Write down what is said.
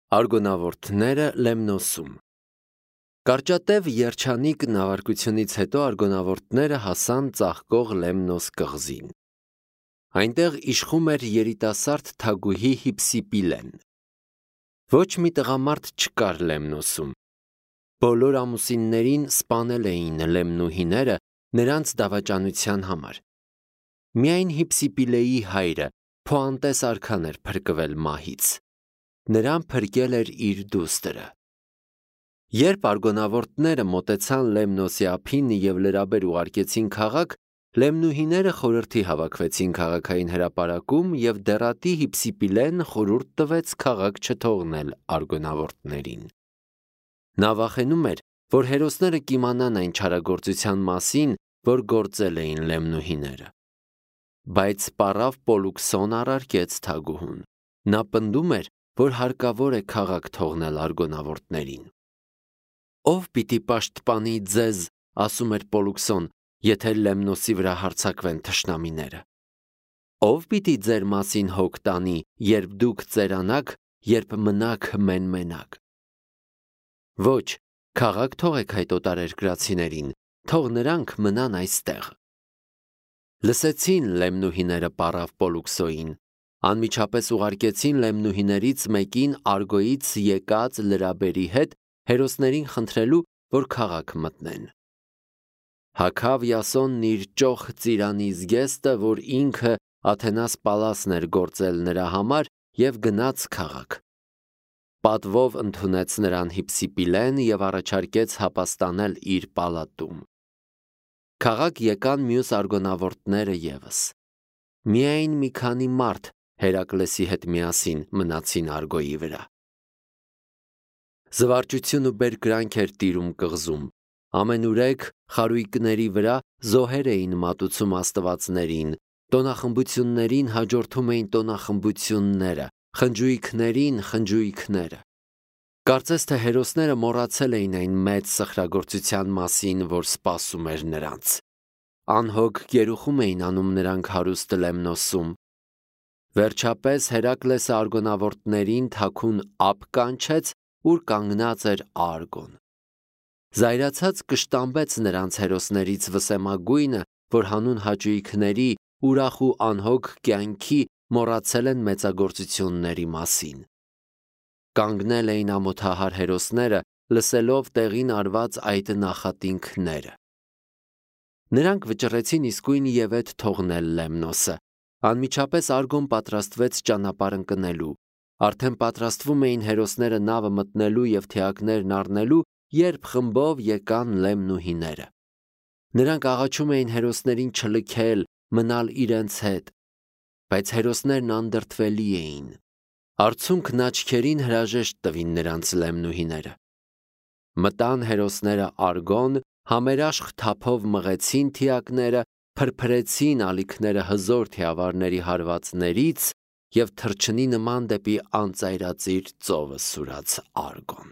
Արգոնավորտները Լեմնոսում։ Կարճատև երջանիկ նավարկությունից հետո արգոնավորտները հասան ծաղկող Լեմնոս կղզին։ Այնտեղ իշխում էր երիտասարդ թագուհի Հիփսիպիլեն։ Ոչ մի տղամարդ չկար Լեմնոսում։ Բոլոր ամուսիններին սպանել էին լեմնուհիները նրանց դավաճանության համար։ Միայն Հիփսիպիլեի հայրը Փոանտես արքան էր փրկվել մահից։ Նրան փրկել էր իր դուստրը։ Երբ արգոնավորտները մոտեցան Լեմնոսի ափին և լրաբեր ուղարկեցին քաղաք, լեմնուհիները խորհրդի հավաքվեցին քաղաքային հրապարակում և դեռատի Հիփսիպիլեն խորհուրդ տվեց քաղաք չթողնել արգոնավորտներին։ Նա վախենում էր, որ հերոսները կիմանան այն չարագործության մասին, որ գործել էին լեմնուհիները։ Բայց պառավ Պոլուքսոն առարկեց թագուհուն։ Նա պնդում էր, որ հարկավոր է քաղաք թողնել արգոնավորտներին։ Ով պիտի պաշտպանի ձեզ, ասում էր Պոլուքսոն, եթե Լեմնոսի վրա հարձակվեն թշնամիները։ Ով պիտի ձեր մասին հոգ տանի, երբ դուք ծերանաք, երբ մնաք մեն-մենակ։ Ոչ, քաղաք թողեք այդ օտարերկրացիներին, թող նրանք մնան այստեղ։ Լսեցին լեմնուհիները պառավ Պոլուքսոյին, անմիջապես ուղարկեցին լեմնուհիներից մեկին Արգոյից եկած լրաբերի հետ հերոսներին խնդրելու, որ քաղաք մտնեն։ Հագավ Յասոնն իր ճոխ ծիրանի զգեստը, որ ինքը Աթենաս պալասն էր գործել նրա համար, և գնաց քաղաք։ Պատվով ընդունեց նրան Հիփսիպիլեն և առաջարկեց հապաստանել իր պալատում։ Քաղաք եկան մյուս արգոնավորտները ևս։ Միայն մի քանի մարդ Հերակլեսի հետ միասին մնացին Արգոյի վրա։ Զվարճություն ու բերկրանք էր տիրում կղզում։ Ամենուրեք խարույկների վրա զոհեր էին մատուցում աստվածներին, տոնախմբություններին հաջորդում էին տոնախմբությունները, խնջույքներին խնջույքները։ Կարծես թե հերոսները մոռացել էին այն մեծ սխրագործության մասին, որ սպասում էր նրանց։ Անհոգ գերուխում էին անում նրանք հարուստ Լեմնոսում։ Վերջապես Հերակլեսը արգոնավորտներին թաքուն ափ կանչեց, ուր կանգնած էր Արգոն։ Զայրացած կշտամբեց նրանց հերոսներից վսեմագույնը, որ հանուն հաճույքների, ուրախ ու անհոգ կյանքի մոռացել են մեծագործությունների մասին։ Կանգնել էին ամոթահար հերոսները, լսելով տեղին արված այդ նախատինքները։ Նրանք վճռեցին իսկույն ևեթ թողնել Լեմնոսը։ Անմիջապես Արգոն պատրաստվեց ճանապարհ ընկնելու։ Արդեն պատրաստվում էին հերոսները նավը մտնելու և թիակներն առնելու, երբ խմբով եկան լեմնուհիները։ Նրանք աղաչում էին հերոսներին չլքել, մնալ իրենց հետ։ Բայց հերոսներն անդրդվելի էին։ Արցունքն աչքերին հրաժեշտ տվին նրանց լեմնուհիները։ Մտան հերոսները Արգոն, համերաշխ թափով մղեցին թիակները, փրփրեցին ալիքները հզոր թիավարների հարվածներից և թռչնի նման դեպի անծայրածիր ծովը սուրաց Արգոն։